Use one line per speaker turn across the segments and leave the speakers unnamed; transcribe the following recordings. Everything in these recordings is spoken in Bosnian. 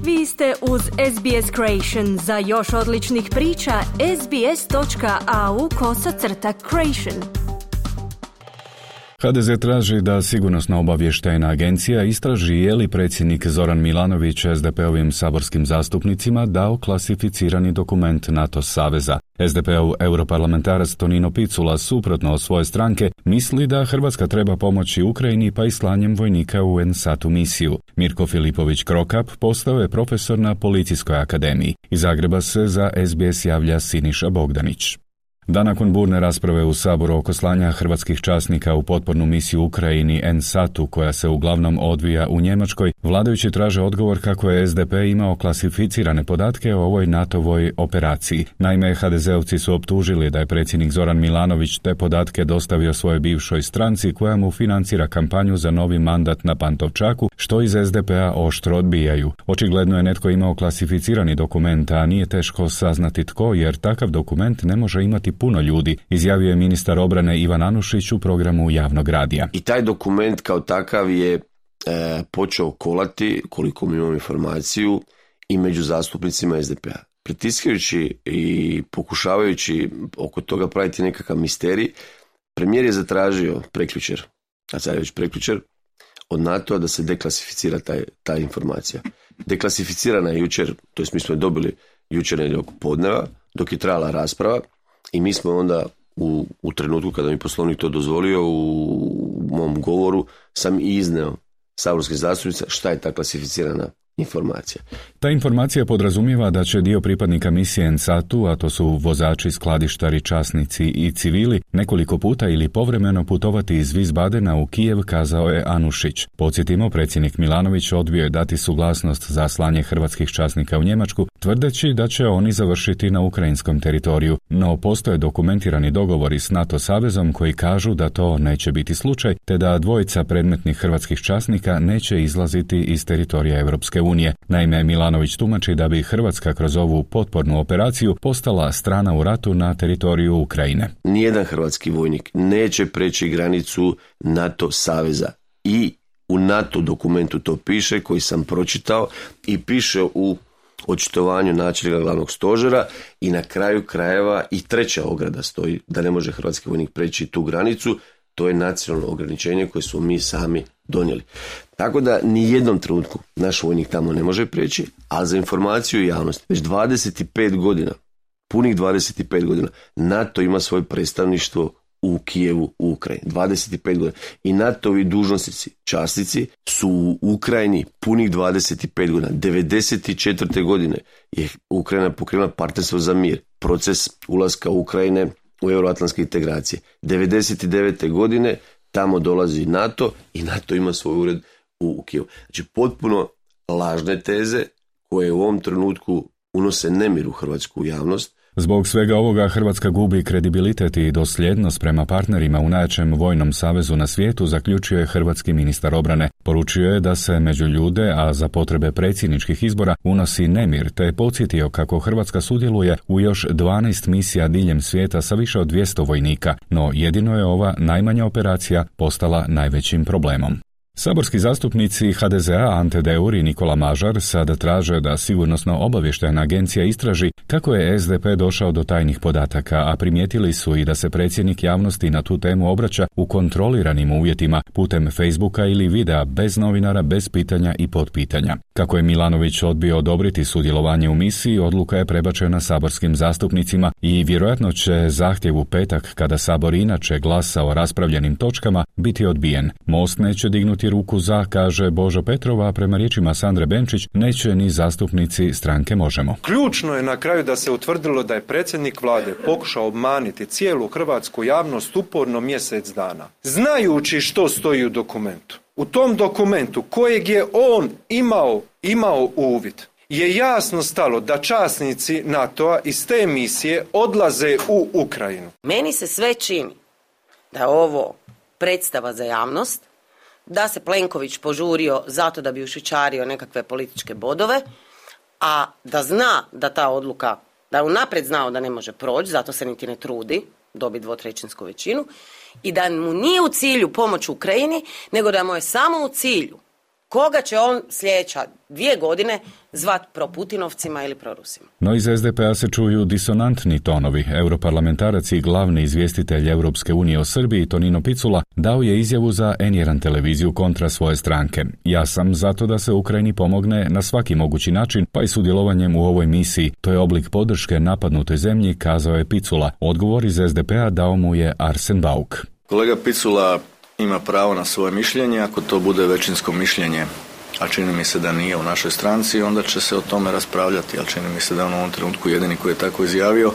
Vi ste uz SBS Creation. Za još odličnih priča, sbs.au/creation.
HDZ traži da sigurnosna obavještajna agencija istraži je li predsjednik Zoran Milanović SDP-ovim saborskim zastupnicima dao klasificirani dokument NATO saveza. SDP-ov europarlamentarac Tonino Picula, suprotno od svoje stranke, misli da Hrvatska treba pomoći Ukrajini pa i slanjem vojnika u NSAT-u misiju. Mirko Filipović Krokap postao je profesor na Policijskoj akademiji. Iz Zagreba se za SBS javlja Siniša Bogdanić. Dan nakon burne rasprave u Saboru oko slanja hrvatskih časnika u potpornu misiju Ukrajini NSAT-u, koja se uglavnom odvija u Njemačkoj, vladajući traže odgovor kako je SDP imao klasificirane podatke o ovoj NATO-voj operaciji. Naime, HDZ-ovci su optužili da je predsjednik Zoran Milanović te podatke dostavio svojoj bivšoj stranci koja mu financira kampanju za novi mandat na Pantovčaku, što iz SDP-a oštro odbijaju. Očigledno je netko imao klasificirani dokument, a nije teško saznati tko, jer takav dokument ne može imati puno ljudi, izjavio je ministar obrane Ivan Anušić u programu javnog radija.
I taj dokument kao takav je počeo kolati, koliko mi imam informaciju, i među zastupnicima SDP-a. Pritiskajući i pokušavajući oko toga praviti nekakav misterij, premijer je zatražio prekjučer, a sad je već prekjučer, od NATO-a da se deklasificira ta informacija. Deklasificirana je jučer, to jest mi smo je dobili jučer nedjeljom podneva, dok je trajala rasprava, i mi smo onda u trenutku kada mi Poslovnik to dozvolio, u mom govoru sam i izneo saborskih zastupnica šta je ta klasificirana informacija.
Ta informacija podrazumijeva da će dio pripadnika misije NSAT-u, a to su vozači, skladištari, časnici i civili, nekoliko puta ili povremeno putovati iz Wiesbadena u Kijev, kazao je Anušić. Podsjetimo, predsjednik Milanović odbio je dati suglasnost za slanje hrvatskih časnika u Njemačku, tvrdeći da će oni završiti na ukrajinskom teritoriju, no postoje dokumentirani dogovori s NATO savezom koji kažu da to neće biti slučaj, te da dvojica predmetnih hrvatskih časnika neće izlaziti iz teritorija Europske unije. Naime, Milanović tumači da bi Hrvatska kroz ovu potpornu operaciju postala strana u ratu na teritoriju Ukrajine.
Nijedan hrvatski vojnik neće preći granicu NATO saveza, i u NATO dokumentu to piše, koji sam pročitao, i piše u očitovanju načelnika glavnog stožera, i na kraju krajeva i treća ograda stoji da ne može hrvatski vojnik preći tu granicu. To je nacionalno ograničenje koje smo mi sami donijeli. Tako da ni jednom trenutku naš vojnik tamo ne može preći, a za informaciju i javnost, već 25 godina, punih 25 godina, NATO ima svoje predstavništvo u Kijevu, u Ukrajini. 25 godina. I NATO-ovi dužnosnici, časnici, su u Ukrajini punih 25 godina. 94. godine je Ukrajina pokrenula partnerstvo za mir, proces ulaska Ukrajine u euroatlantske integracije. 99. godine tamo dolazi NATO i NATO ima svoj ured u Kijevu. Znači, potpuno lažne teze koje u ovom trenutku unose nemir u hrvatsku javnost.
Zbog svega ovoga Hrvatska gubi kredibilitet i dosljednost prema partnerima u najjačem vojnom savezu na svijetu, zaključio je hrvatski ministar obrane. Poručio je da se među ljude, a za potrebe predsjedničkih izbora, unosi nemir, te je podsjetio kako Hrvatska sudjeluje u još 12 misija diljem svijeta sa više od 200 vojnika, no jedino je ova najmanja operacija postala najvećim problemom. Saborski zastupnici HDZ-a Ante Deur i Nikola Mažar sada traže da sigurnosno-obavještajna agencija istraži kako je SDP došao do tajnih podataka, a primijetili su i da se predsjednik javnosti na tu temu obraća u kontroliranim uvjetima putem Facebooka ili videa, bez novinara, bez pitanja i potpitanja. Kako je Milanović odbio odobriti sudjelovanje u misiji, odluka je prebačena saborskim zastupnicima i vjerojatno će zahtjev u petak, kada Sabor inače glasa o raspravljenim točkama, biti odbijen. Most neće dignuti ruku za, kaže Božo Petrova, a prema riječima Sandre Benčić neće ni zastupnici stranke Možemo.
Ključno je na kraju da se utvrdilo da je predsjednik vlade pokušao obmaniti cijelu hrvatsku javnost uporno mjesec dana, znajući što stoji u dokumentu. U tom dokumentu kojeg je on imao uvid, je jasno stalo da časnici NATO-a iz te misije odlaze u Ukrajinu.
Meni se sve čini da je ovo predstava za javnost, da se Plenković požurio zato da bi ušićario nekakve političke bodove, a da zna da ta odluka, da je unaprijed znao da ne može proći, zato se niti ne trudi dobiti 2/3 većinu, i da mu nije u cilju pomoć Ukrajini, nego da mu je samo u cilju koga će on sljedeća 2 godine zvat proputinovcima ili prorusima.
No iz SDP-a se čuju disonantni tonovi. Europarlamentarac i glavni izvjestitelj Europske unije o Srbiji, Tonino Picula, dao je izjavu za N1 televiziju kontra svoje stranke. Ja sam zato da se Ukrajini pomogne na svaki mogući način, pa i sudjelovanjem u ovoj misiji. To je oblik podrške napadnutoj zemlji, kazao je Picula. Odgovor iz SDP-a dao mu je Arsen Bauk.
Kolega Picula ima pravo na svoje mišljenje, ako to bude većinsko mišljenje, a čini mi se da nije u našoj stranci, onda će se o tome raspravljati, ali čini mi se da on u ovom trenutku jedini koji je tako izjavio.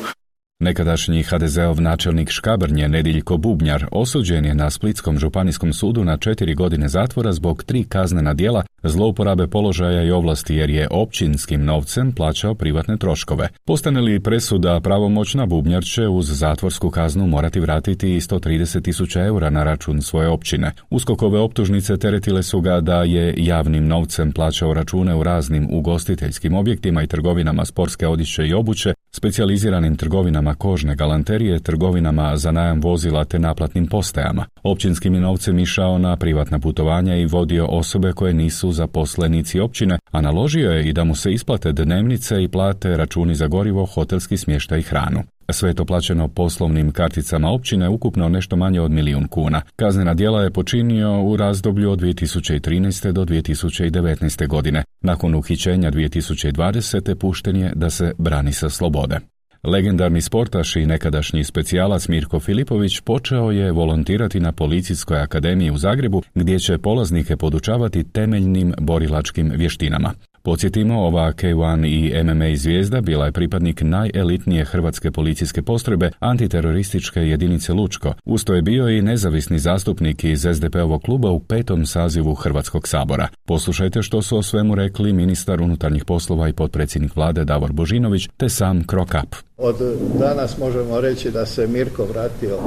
Nekadašnji HDZ-ov načelnik Škabrnje Nediljko Bubnjar osuđen je na Splitskom županijskom sudu na 4 godine zatvora zbog 3 kaznena djela zlouporabe položaja i ovlasti jer je općinskim novcem plaćao privatne troškove. Postane li presuda pravomoćna, Bubnjar će uz zatvorsku kaznu morati vratiti 130.000 eura na račun svoje općine. USKOK-ove optužnice teretile su ga da je javnim novcem plaćao račune u raznim ugostiteljskim objektima i trgovinama sportske odjeće i obuće, specijaliziranim trgovinama kožne galanterije, trgovinama za najam vozila te naplatnim postajama. Općinskim je novcem išao na privatna putovanja i vodio osobe koje nisu zaposlenici općine, a naložio je i da mu se isplate dnevnice i plate računi za gorivo, hotelski smještaj i hranu. Sve je to plaćeno poslovnim karticama općine, ukupno nešto manje od 1 milijun kuna. Kaznena djela je počinio u razdoblju od 2013. do 2019. godine. Nakon uhićenja 2020. pušten je da se brani sa slobode. Legendarni sportaš i nekadašnji specijalac Mirko Filipović počeo je volontirati na Policijskoj akademiji u Zagrebu, gdje će polaznike podučavati temeljnim borilačkim vještinama. Podsjetimo, ova K1 i MMA zvijezda bila je pripadnik najelitnije hrvatske policijske postrojbe antiterorističke jedinice Lučko. Uz to je bio i nezavisni zastupnik iz SDP-ovog kluba u 5. sazivu Hrvatskog sabora. Poslušajte što su o svemu rekli ministar unutarnjih poslova i potpredsjednik vlade Davor Božinović te sam Krokap.
Od danas možemo reći da se Mirko vratio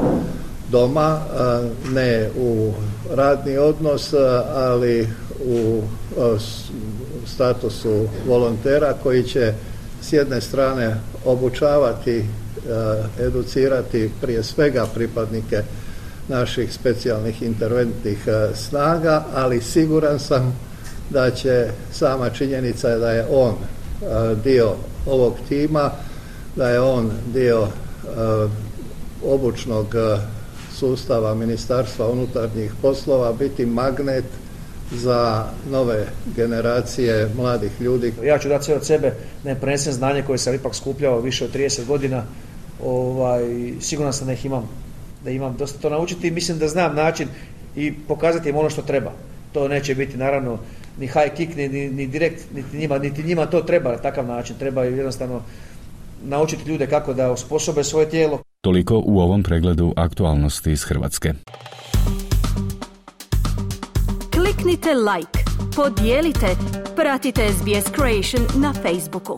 doma, ne u radni odnos, ali u statusu volontera koji će s jedne strane obučavati, educirati prije svega pripadnike naših specijalnih interventnih snaga, ali siguran sam da će sama činjenica da je on dio ovog tima, da je on dio obučnog sustava Ministarstva unutarnjih poslova biti magnet za nove generacije mladih ljudi.
Ja ću dati sve od sebe da ne prenesem znanje koje sam ipak skupljao više od 30 godina. Siguran sam da imam dosta to naučiti i mislim da znam način i pokazati im ono što treba. To neće biti naravno ni high kick, ni direkt, niti njima to treba na takav način. Treba jednostavno naučiti ljude kako da osposobe svoje tijelo.
Toliko u ovom pregledu aktualnosti iz Hrvatske.
Kliknite like, podijelite, pratite SBS Creation na Facebooku.